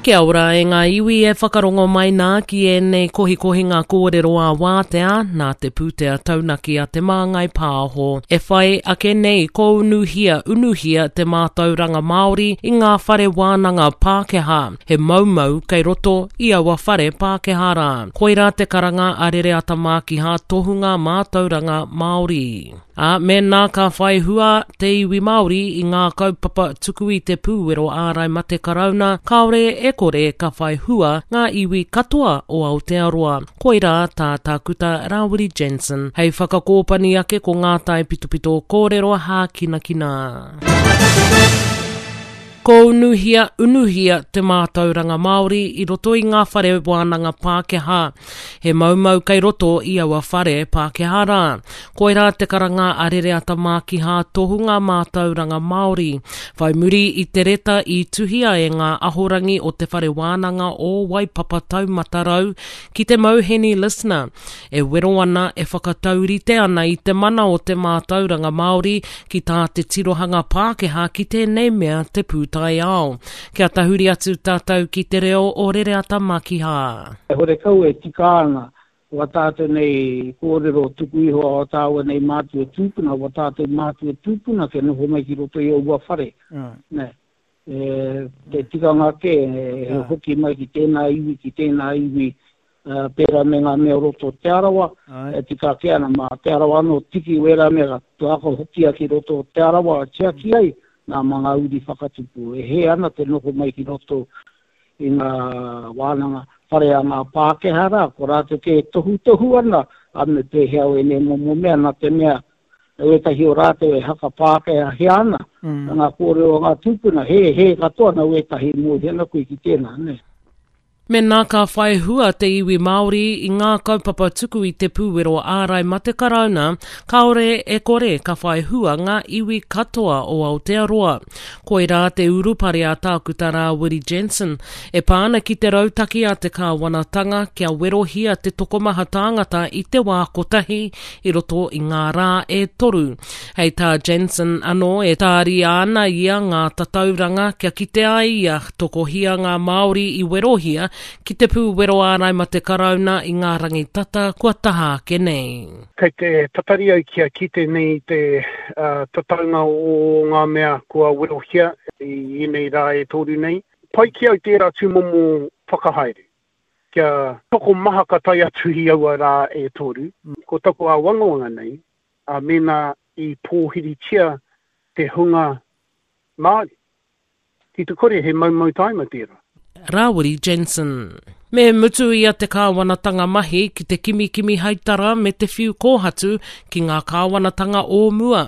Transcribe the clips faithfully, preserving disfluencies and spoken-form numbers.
Kia ora e ngā iwi e whakarongo mai nā ki ēnei kohikohinga kōrero a wātea nā te pūtea taunaki a Te Māngai Pāho. E whai ake nei ko unuhia unuhia te mātauranga Māori i ngā whare wānanga Pākehā. He maumau kei roto i aua whare Pākehā rā. Koirā te karanga a Rereata Mākiha tohunga mātauranga Māori. Ā, mēnā ka whai hua te iwi Māori i ngā kaupapa tuku i te pūwero ārai mate karauna, kāore e kore ka whai hua ngā iwi katoa o Aotearoa. Koirā tā Tākuta Rāwiri Jansen. Hei whakakōpani ake ko ngā taipitopito kōrero hākinakina. Ko unuhia, unuhia te mātauranga Māori i roto i ngā whare wānanga Pākehā. He maumau kei roto i aua whare Pākehā rā. Koirā te karanga a Rereata Mākiha tohunga mātauranga Māori. Whai muri i te reta i tuhia e ngā ahorangi o te whare wānanga o Waipapa Taumata Rau ki te Mauheni Listener. E wero ana, e whakataurite ana i te mana o te mātauranga Māori ki tā te tirohanga Pākehā ki tēnei mea te pūtaiao. Kia tahuri atu tātou ki te reo o Rereata Mākiha. Horekau e tika ana wa tātou nei kōrero tuku iho a tāua nei mātua tūpuna, wa tātou mātua tūpuna ke noho mai ki roto i aua whare. Ne. E, te tikanga ke, e, hoki mai ki tēnā iwi, ki tēnā iwi, uh, pērā me ngā mea roto Te Arawa, e tika ake ana mā Te Arawa anō tiki wērā mea, tuako hokia ki roto Te Arawa, tiaki ai, nā mā ngā uri whakatupu. E he ana te noho mai ki roto i ngā wānanga whare a ngā Pākehā rā, ko rātou ke tohutohu ana, a me pēhea o ēnei momo mea, nā te mea, wētahi o rātou e haka Pākehā hea ana, mm. ngā kōrero a ngā tūpuna, he, he katoa na wētahi mōhio ana koe ki tēnā, ne. Mēnā ka whai hua te iwi Māori i ngā kaupapa tuku i te pūwero ārai mate karauna, kāore e kore ka whai hua ngā iwi katoa o Aotearoa. Koirā te urupare a Tākuta Rāwiri Jansen, e pā ana ki te rautaki a te kāwanatanga kia werohia te tokomaha tāngata i te wā kotahi i roto i ngā rā e toru. Hei tā Jansen anō e tāria ana ia ngā tatauranga kia kite ai ia tokohia ngā Māori i werohia ki te pūwero ārai mate karauna i ngā rangi tata kua taha ake nei. Kei te tatari au kia kite nei te uh, tataunga o ngā mea kua werohia i ēnei rā e toru nei. Pai ki au tērā tūmomo whakahaere. Kia tokomaha ka tae atu i aua rā e toru. Ko taku āwangawanga nei, a mēnā i pōhiritia te hunga Māori. Ki te kore he maumau taima tērā. Rāwiri Jansen. Me mutu ia te kāwanatanga mahi ki te kimikimi haitara me te whiu kōhatu ki ngā kāwanatanga o mua.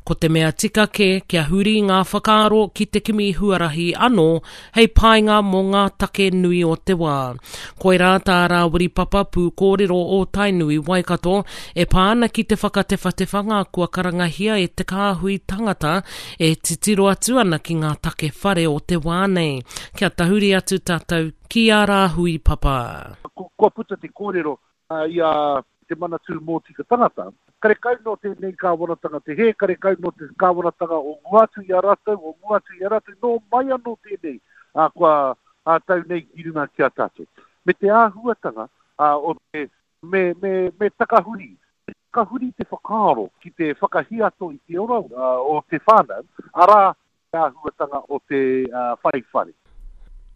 Ko te mea tika ke kia huri ngā whakaaro ki te kimi huarahi anō hei painga mō ngā take nui o te wā. Koirā tā Rāwiri Papa pūkōrero o Tainui Waikato e pā ana ki te whakatewhatewhanga kua karangahia e te kāhui tangata e titiro atu ana ki ngā take whare o te wā nei. Kia tahuri atu tātou ki a Rāhui Papa. Kua puta te kōrero uh, i a te Manatū Mōtika Tangata. Karekau no tēnei kāwanatanga te hē, karekau no te kāwanatanga o mua atu i a rātou, o mua atu i a rātou, nō mai anō tēnei uh, kua uh, tau nei ki runga ki a tātou. Me te āhuatanga uh, o te me, me, me takahuri, takahuri te whakaaro ki te whakahiato i te ora uh, o te whānau, arā te āhuatanga o te uh, whai whare.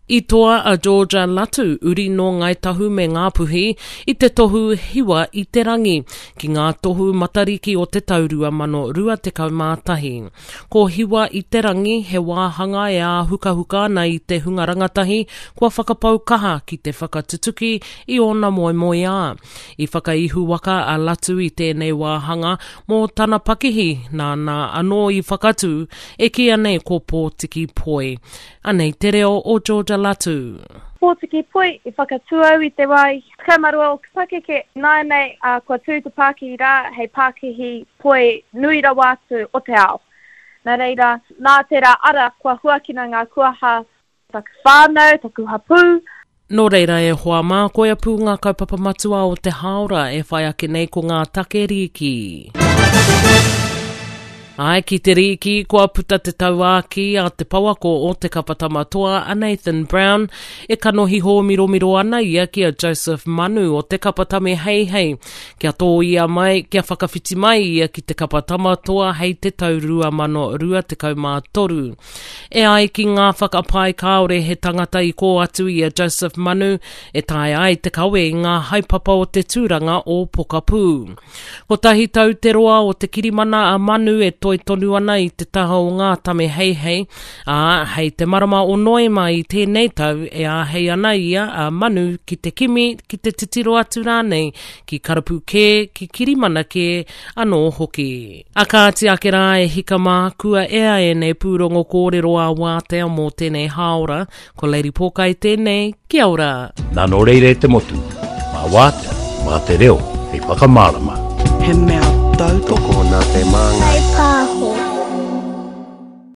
I toa a Georgia Latu, uri nō Ngāi Tahu me Ngāpuhi, i te tohu hiwa i te rangi, ki ngā tohu matariki o te tau rua mano rua tekau mā tahi. Ko hiwa i te rangi, he wāhanga e āhukahuka ana i te hunga rangatahi kua whakapau kaha ki te whakatutuki i ōna moemoeā. I whakaihuwaka a Latu i tēnei wāhanga mō tana pakihi, nāna anō i whakatū, e kīia nei ko Pōtiki Poi. Anei te reo o Georgia Latu. Pōtiki Poi i whakatū au i te wā i tekau mā rua o pakeke. Nāianei uh, kua tū te pākihi rā hei pākihi poi nui rawa atu o te ao. Nā reira, nā tērā ara kua huakina ngā kuaha taku whānau, taku hapū. Nō reira e hoa mā, koia pū ngā kaupapa matua o te hāora e whai ake nei ko ngā take rīki. Ai ki te rīki, kua puta te tauākī a te pouako o te kapa Tama Toa a Nathan Brown, e kanohi hōmiromiro ana ia ki a Joseph Manu o te kapa Tame Heihei, kia tōia mai, kia whakawhiti mai ia ki te kapa Tama Toa hei te tau rua mano rua tekau mā toru. E ai ki ngā whakapae kāore he tangata i kō atu i a Joseph Manu e taea ai te kawe i ngā haepapa o te tūranga o Pokapū. Kotahi tau te roa o te kirimana a Manu e toi tonu ana i te taha o ngā Tame Heihei, ā, hei te marama o Noema i tēnei tau e āhei ana ia a Manu ki te kimi, ki te titiro atu rānei, ki karapu kē, ki kirimana kē anō hoki. A kāti ake rā e hika mā, kua ea ēnei pūrongo kōrero ā wātea mō tēnei hāora, ko Lady Pōkai tēnei, kia ora! Nā nō reira e te motu, mā wātea, mā te reo, hei whakamārama. He mea tautoko Tokona te māngai. Whai pāho.